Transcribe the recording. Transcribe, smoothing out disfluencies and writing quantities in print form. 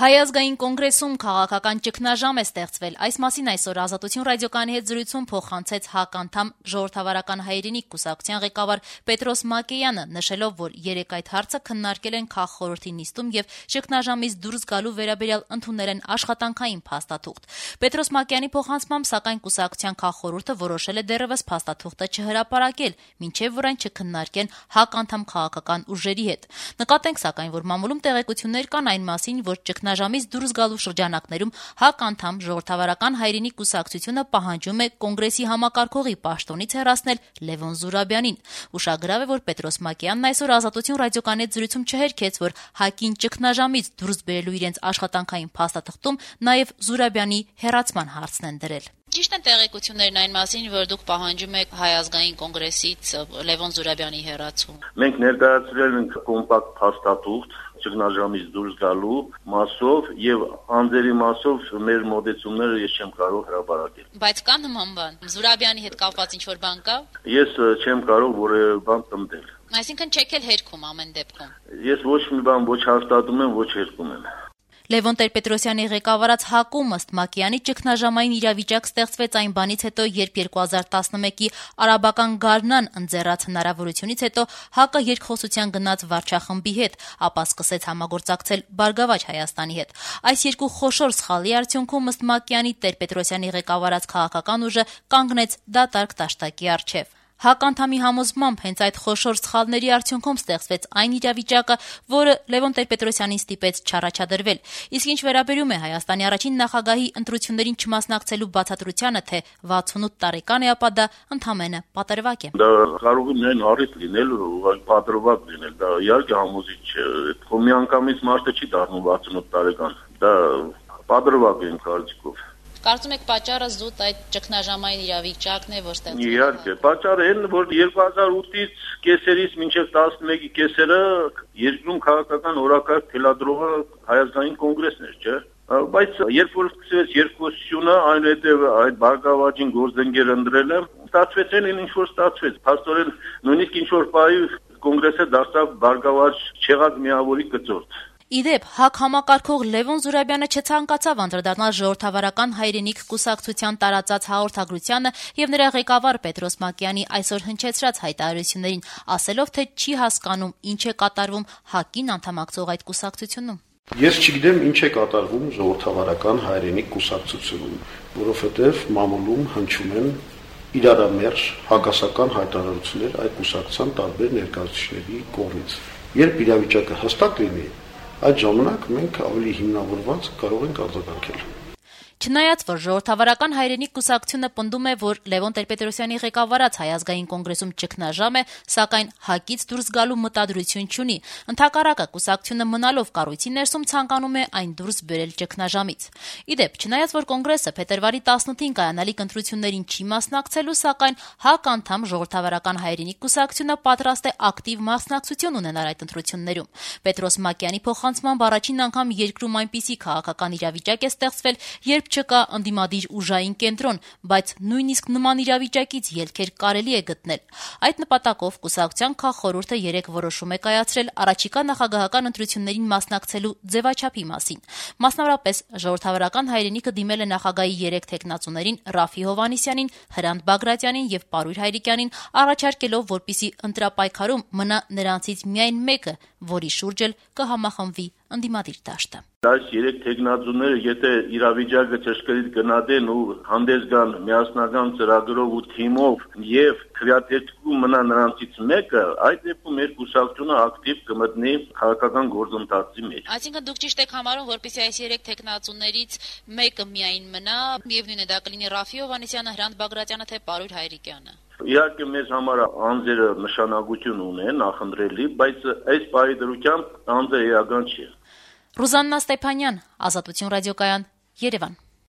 Հայ ազգային կոնգրեսում քաղաքական ճգնաժամ է ստեղծվել։ Այս մասին այսօր Ազատություն ռադիոկայանի հետ զրույցում փոխանցեց ՀԱԿ անդամ Ժողովրդավարական հայրենիք կուսակցության ղեկավար Պետրոս Մակեյանը, նշելով, որ երեկ այդ հարցը քննարկել են քաղխորհրդի նիստում եւ ճգնաժամից դուրս գալու վերաբերյալ ընդունել են աշխատանքային փաստաթուղթ։ Պետրոս Մակեյանի փոխանցմամբ, սակայն կուսակցության քաղխորհուրդը որոշել է դեռևս փաստաթուղթը չհրապարակել, մինչեւ որ այն չքննարկեն ՀԱԿ անդամ քաղաքական ուժերի հետ։ Նկատենք, սակայն, որ մամուլում տեղեկություններ կան այն մասին, որ ճգնաժամից դուրս գալու շրջանակներում ՀԱԿ անդամ Ժողովրդավարական հայրենիք կուսակցությունը պահանջում է կոնգրեսի համակարգողի պաշտոնից հեռացնել Լևոն Զուրաբյանին։ Ուշագրավ է, որ Պետրոս Մակեյանն այսօր Ազատություն ռադիոկայանի հետ զրույցում չհերքեց, որ ՀԱԿ-ին ճգնաժամից դուրս բերելու իրենց աշխատանքային փաստաթղթում նաև Զուրաբյանի հեռացման հարցն են դրել։ Ճիշտ են տեղեկություններն այն մասին, որ դուք պահանջում եք Հայ ազգային կոնգրեսից Լևոն Զուրաբյանի հեռացում։ Մենք ներկայացրել ենք կոմպակտ փաստաթուղթ ճգնաժամից դուրս գալու մասով եւ անձերի մասով մեր մոտեցումները ես չեմ կարող հրապարակել։ Բայց կա նման բան։ Զուրաբյանի հետ կապված ինչ-որ բան կա։ Ես չեմ կարող որևէ բան տմտել։ Այսինքն չեք էլ հերքում ամեն դեպքում։ Ես ոչ մի բան ոչ հաստատում եմ, ոչ հերքում եմ։ Լևոն Տեր-Պետրոսյանի ղեկավարած ՀԱԿ-ում ըստ Մակեյանի ճգնաժամային իրավիճակ ստեղծվեց այն բանից հետո, երբ 2011-ի արաբական գարնան ընձեռած հնարավորությունից հետո ՀԱԿ-ը երկխոսության գնաց վարչախմբի հետ, ապա սկսեց համագործակցել Բարգավաճ Հայաստանի հետ։ Այս երկու խոշոր սխալի արդյունքում ըստ Մակեյանի Տեր-Պետրոսյանի ղեկավարած քաղաքական ուժը կանգնեց դատարկ դաշտակի առջև։ ՀԱԿ անդամի համոզմամբ հենց այդ խոշոր սխալների արդյունքում ստեղծվեց այն իրավիճակը, որը Լևոն Տեր-Պետրոսյանին ստիպեց չառաջադրվել։ Իսկ ինչ վերաբերում է Հայաստանի առաջին նախագահի ընտրություններին չմասնակցելու բացատրությանը, թե 68 տարեկան է, ապա դա ընդամենը պատրվակ է։ Դա կարող է միայն առիթ լինել, պատրվակ լինել, դա իհարկե համոզիչ չէ։ Մի անգամից մարդը չի դառնում 68 տարեկան։ Դա պատրվակ է իմ կարծիքով։ Կարծում եք պատճառը զուտ այդ ճգնաժամային իրավիճակն է, որ ստեղծվել է։ Իհարկե, պատճառը այն, որ 2008-ից կեսերից մինչև 11-ի կեսերը երկրում քաղաքական օրակարգ թելադրողը Հայ ազգային կոնգրեսն էր, չէ՞։ Բայց երբ որ սկսվեց երկխոսությունը, այնուհետև այդ Բարգավաճին գործընկեր ընտրելը, ստացվեց այն ինչ որ ստացվեց։ Փաստորեն նույնիսկ ինչ որ պահի կոնգրեսը դարձավ Բարգավաճ չեղած միավորի կծորդ։ Իդեպ, ՀԱԿ համակարգող Լևոն Զուրաբյանը չցանկացավ անդրադառնալ Ժողովրդավարական հայրենիք կուսակցության տարածած հաղորդագրությանը եւ նրա ղեկավար Պետրոս Մակեյանի այսօր հնչեցրած հայտարարություններին, ասելով, թե չի հասկանում ինչ է կատարվում ՀԱԿ-ին անդամակցող այդ կուսակցությունում։ Ես չգիտեմ ինչ է կատարվում Ժողովրդավարական հայրենիք կուսակցությունում, որովհետեւ մամուլում հնչում են իրարամերժ հակասական հայտարարություններ այդ կուսակցության տարբեր ներկայացուցիչների կողմից։ Երբ իրավիճակը հստակ լինի, այդ ժամանակ մենք ավելի հիմնավորված կարող ենք արձագանքել։ Չնայած, որ Ժողովրդավարական հայրենիք կուսակցությունը պնդում է, որ Լևոն Տեր-Պետրոսյանի ղեկավարած Հայ ազգային կոնգրեսում ճգնաժամ է, սակայն ՀԱԿ-ից դուրս գալու մտադրություն չունի։ Ընդհակառակը, կուսակցությունը մնալով կառույցի ներսում ցանկանում է այն դուրս բերել ճգնաժամից։ Իդեպ, չնայած, որ կոնգրեսը փետրվարի 18-ին կայանալիք ընտրություններին չի մասնակցելու, սակայն ՀԱԿ անդամ Ժողովրդավարական հայրենիք կուսակցությունը պատրաստ է ակտիվ մասնակցություն ունենալ այդ ընտրություններում։ Պետրոս Մակեյանի փոխանցմամբ առաջին անգամ երկրում այնպիսի քաղաքական իրավիճակ է ստեղծվել, երբ չկա ընդդիմադիր ուժային կենտրոն, բայց նույնիսկ նման իրավիճակից ելքեր կարելի է գտնել։ Այդ նպատակով կուսակցության քաղխորհուրդը երեկ որոշում է կայացրել առաջիկա նախագահական ընտրություններին մասնակցելու ձևաչափի մասին։ Մասնավորապես, Ժողովրդավարական հայրենիքը դիմել է նախագահի 3 թեկնածուներին Ռաֆի Հովհաննիսյանին, Հրանտ Բագրատյանին եւ Պարույր Հայրիկյանին, առաջարկելով, որպիսի ընտրապայքարում մնա նրանցից միայն մեկը, որի շուրջ էլ կհամախմբվի ընդդիմադիր դաշտը։ Այս 3 թեկնածուները, եթե իրավիճակը ճշգրիտ գնահատեն ու հանդես գան միասնական ծրագրով ու թիմով եւ քվեաթերթում մնա նրանցից մեկը, այդ դեպքում մեր կուսակցությունը ակտիվ կմտնի քաղաքական գործընթացի մեջ։ Այսինքն դուք ճիշտ եք համարում, որպեսզի այս 3 թեկնածուներից մեկը միայն մնա, միևնույն է դա կլինի Ռաֆի Հովհաննիսյանը, Հրանտ Բագրատյանը թե Պարույր Հայրիկյանը։ Իհարկե մեզ համար անձերը նշանակություն ունեն, նախընտրելի, բայց այս պահի դրությամբ անձը էական չի։ Ռուզաննա Ստեփանյան, Ազատություն ռադիոկայան, Երևան։